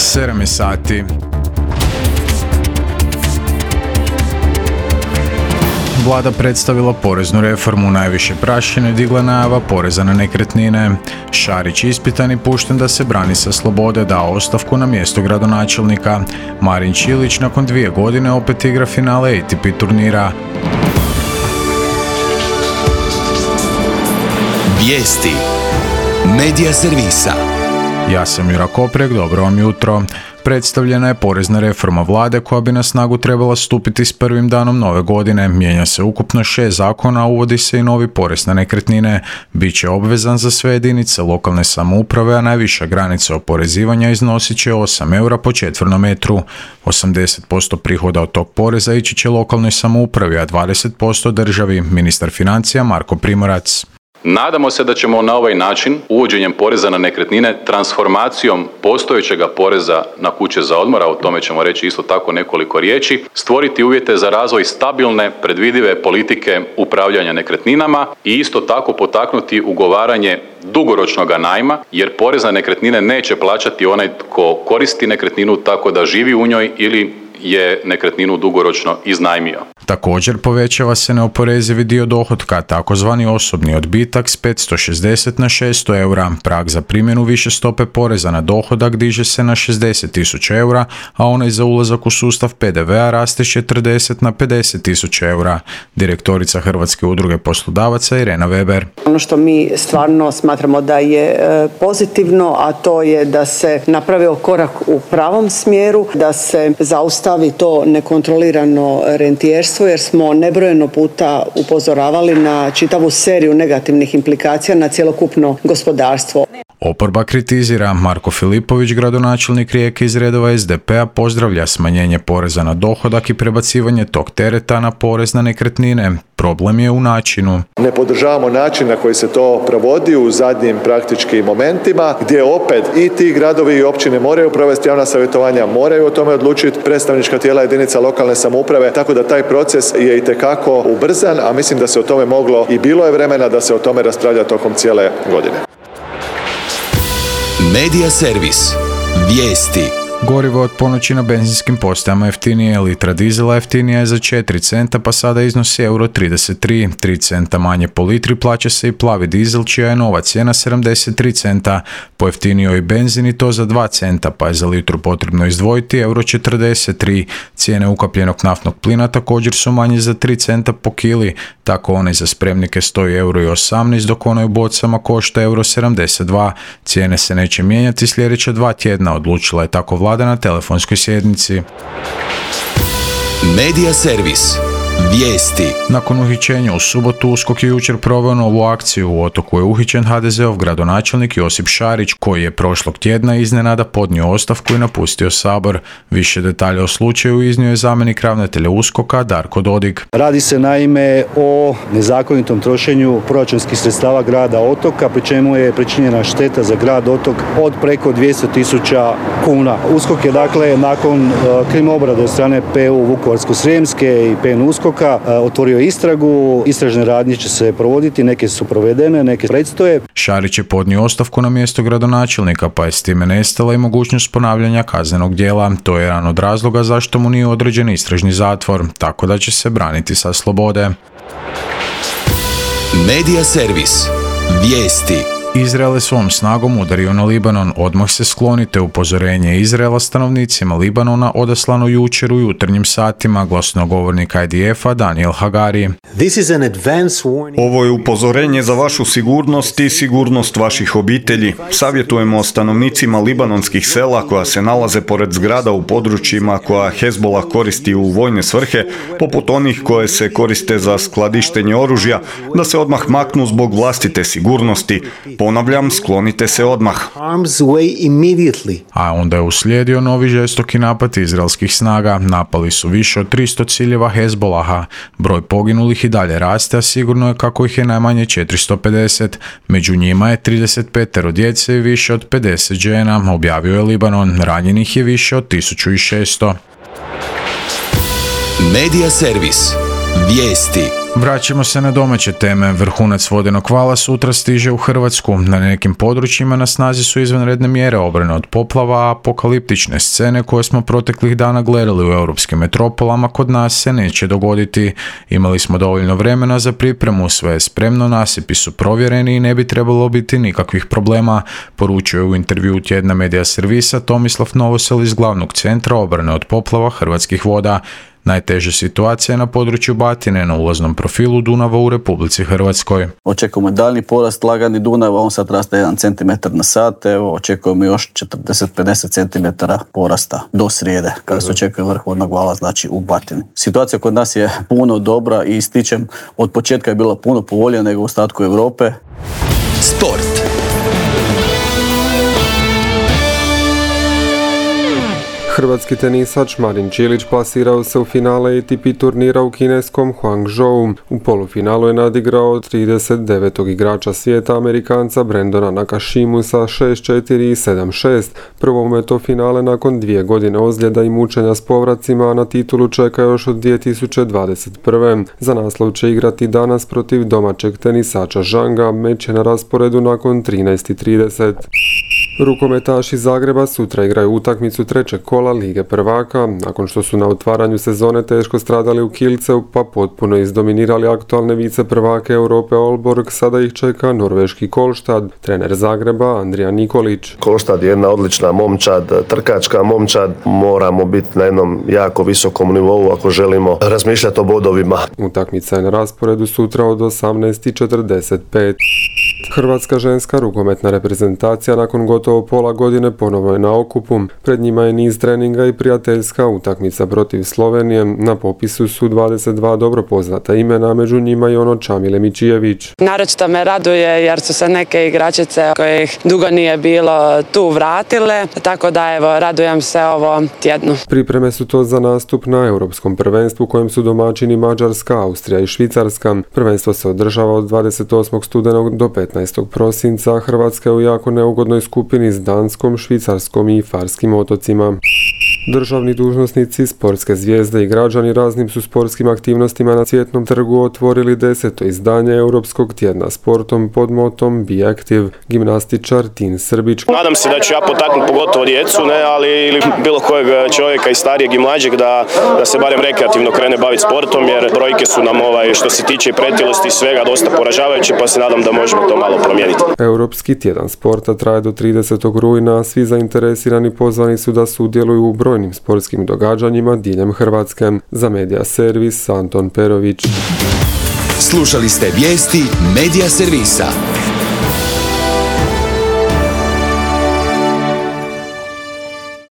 7 sati. Vlada predstavila poreznu reformu, najviše prašine digla najava poreza na nekretnine. Šarić ispitan i pušten da se brani sa slobode, dao ostavku na mjesto gradonačelnika. Marin Čilić nakon 2 godine opet igra finale ATP turnira. Vijesti Medija servisa. Ja sam Jura Koprek, dobro vam jutro. Predstavljena je porezna reforma vlade koja bi na snagu trebala stupiti s prvim danom nove godine. Mijenja se ukupno 6 zakona, a uvodi se i novi porez na nekretnine. Biće obvezan za sve jedinice lokalne samouprave, a najviša granica oporezivanja iznosit će 8 eura po četvrnom metru. 80% prihoda od tog poreza ići će lokalnoj samoupravi, a 20% državi. Ministar financija Marko Primorac. Nadamo se da ćemo na ovaj način, uvođenjem poreza na nekretnine, transformacijom postojećega poreza na kuće za odmor, a o tome ćemo reći isto tako nekoliko riječi, stvoriti uvjete za razvoj stabilne, predvidive politike upravljanja nekretninama i isto tako potaknuti ugovaranje dugoročnog najma, jer porez na nekretnine neće plaćati onaj tko koristi nekretninu tako da živi u njoj ili je nekretninu dugoročno iznajmio. Također povećava se neoporezivi dio dohotka, takozvani osobni odbitak s 560 na 600 eura. Prag za primjenu više stope poreza na dohodak diže se na 60.000 eura, a onaj za ulazak u sustav PDV-a raste s 40 na 50.000 eura. Direktorica Hrvatske udruge poslodavaca Irena Weber. Ono što mi stvarno smatramo da je pozitivno, a to je da se napravio korak u pravom smjeru, da se zaustavi to nekontrolirano rentijerstvo, jer smo nebrojeno puta upozoravali na čitavu seriju negativnih implikacija na cjelokupno gospodarstvo. Oporba kritizira. Marko Filipović, gradonačelnik Rijeke iz redova SDP-a, pozdravlja smanjenje poreza na dohodak i prebacivanje tog tereta na porez na nekretnine. Problem je u načinu. Ne podržavamo način na koji se to provodi u zadnjim praktički momentima, gdje opet i ti gradovi i općine moraju provesti javna savjetovanja, moraju o tome odlučiti predstavnička tijela jedinica lokalne samouprave, tako da taj proces je itekako ubrzan, a mislim da se o tome moglo i bilo je vremena da se o tome raspravlja tokom cijele godine. Medija servis. Vijesti. Gorivo od ponoći na benzinskim postajama jeftinije, litra dizela jeftinija je za 4 centa, pa sada iznosi euro 33. 3 centa manje po litri plaća se i plavi dizel, čija je nova cijena 73 centa. Pojeftinio i benzin i to za 2 centa, pa je za litru potrebno izdvojiti euro 43. Cijene ukapljenog naftnog plina također su manje za 3 centa po kili, tako onaj za spremnike stoji euro 18, dok onaj u bocama košta euro 72. Cijene se neće mijenjati sljedeća 2 tjedna, odlučila je tako vlada na telefonskoj sjednici. Medija servis. Vijesti. Nakon uhićenja u subotu, USKOK je jučer proveo novu akciju. U Otoku je uhićen HDZ-ov gradonačelnik Josip Šarić, koji je prošlog tjedna iznenada podnio ostavku i napustio Sabor. Više detalja o slučaju iznio je zamjenik ravnatelja USKOK-a Darko Dodig. Radi se naime o nezakonitom trošenju proračunskih sredstava grada Otoka, pri čemu je pričinjena šteta za grad Otok od preko 200.000 kuna. USKOK je dakle nakon krim obrade od strane PU Vukovarsko-srijemske i PN USKOK otvorio istragu, istražne radnje će se provoditi, neke su provedene, neke predstoje. Šarić je podnio ostavku na mjesto gradonačelnika, pa je s time nestala i mogućnost ponavljanja kaznenog djela. To je jedan od razloga zašto mu nije određen istražni zatvor, tako da će se braniti sa slobode. Medija servis. Vijesti. Izrael je svom snagom udario na Libanon. Odmah se sklonite, upozorenje Izraela stanovnicima Libanona odaslano jučer u jutarnjim satima, glasnogovornik IDF-a Daniel Hagari. Ovo je upozorenje za vašu sigurnost i sigurnost vaših obitelji. Savjetujemo stanovnicima libanonskih sela koja se nalaze pored zgrada u područjima koja Hezbollah koristi u vojne svrhe, poput onih koje se koriste za skladištenje oružja, da se odmah maknu zbog vlastite sigurnosti. Ponavljam, sklonite se odmah. A onda je uslijedio novi žestoki napad izraelskih snaga. Napali su više od 300 ciljeva Hezbollaha. Broj poginulih i dalje raste, a sigurno je kako ih je najmanje 450. Među njima je 35 djece i više od 50 žena, objavio je Libanon. Ranjenih je više od 1600. Medija servis. Vijesti. Vraćamo se na domaće teme. Vrhunac vodenog vala sutra stiže u Hrvatsku. Na nekim područjima na snazi su izvanredne mjere obrane od poplava, a apokaliptične scene koje smo proteklih dana gledali u europskim metropolama kod nas se neće dogoditi. Imali smo dovoljno vremena za pripremu, sve je spremno, nasipi su provjereni i ne bi trebalo biti nikakvih problema, poručuje u intervjuu tjedna Medija servisa Tomislav Novosel iz glavnog centra obrane od poplava Hrvatskih voda. Najteža situacija je na području Batine na ulaznom profilu Dunava u Republici Hrvatskoj. Očekujemo daljnji porast lagani Dunava, on sad raste 1 cm na sat, evo očekujemo još 40-50 cm porasta do srijede, kada se očekuje vrh vodnog vala, znači u Batini. Situacija kod nas je puno dobra i ističem, od početka je bila puno povoljnija nego u ostatku Europe. Sport. Hrvatski tenisač Marin Čilić plasirao se u finale ATP turnira u kineskom Hangzhou. U polufinalu je nadigrao 39. igrača svijeta, Amerikanca Brendona Nakashimu sa 6-4 i 7-6. Prvo mu je to finale nakon 2 godine ozljeda i mučenja s povracima, a na titulu čeka još od 2021. Za naslov će igrati danas protiv domaćeg tenisača Zhanga, meč je na rasporedu nakon 13:30. Rukometaši Zagreba sutra igraju utakmicu trećeg kola Lige prvaka. Nakon što su na otvaranju sezone teško stradali u Kielceu pa potpuno izdominirali aktualne vice prvake Europe Aalborg, sada ih čeka norveški Kolštad. Trener Zagreba Andrija Nikolić. Kolštad je jedna odlična momčad, trkačka momčad. Moramo biti na jednom jako visokom nivou ako želimo razmišljati o bodovima. Utakmica je na rasporedu sutra od 18:45. Hrvatska ženska rukometna reprezentacija nakon gotovo pola godine ponovo je na okupu. Pred njima je niz treninga i prijateljska utakmica protiv Slovenije. Na popisu su 22 dobro poznata imena, među njima i ono Čamile Mičijević. Naročito me raduje jer su se neke igračice kojih dugo nije bilo tu vratile, tako da evo radujem se ovom tjednu. Pripreme su to za nastup na Europskom prvenstvu kojem su domaćini Mađarska, Austrija i Švicarska. Prvenstvo se održava od 28. studenog do 15. prosinca. Hrvatska je u jako neugodnoj skupini s Danskom, Švicarskom i Farskim otocima. Državni dužnosnici, sportske zvijezde i građani raznim su sportskim aktivnostima na Cvjetnom trgu otvorili 10. izdanje Europskog tjedna sportom pod motom Be Active. Gimnastičar Tin Srbić. Nadam se da ću ja potaknuti pogotovo djecu, ili bilo kojeg čovjeka i starijeg i mlađeg da se barem rekreativno krene baviti sportom, jer brojke su nam što se tiče pretilosti i svega dosta poražavajuće, pa se nadam da možemo to malo promijeniti. Europski tjedan sporta traje do 30. rujna, svi zainteresirani pozvani su da sudjeluju u brojnim sportskim događanjima diljem Hrvatske. Za Medija servis Anton Perović. Slušali ste vijesti Medija servisa.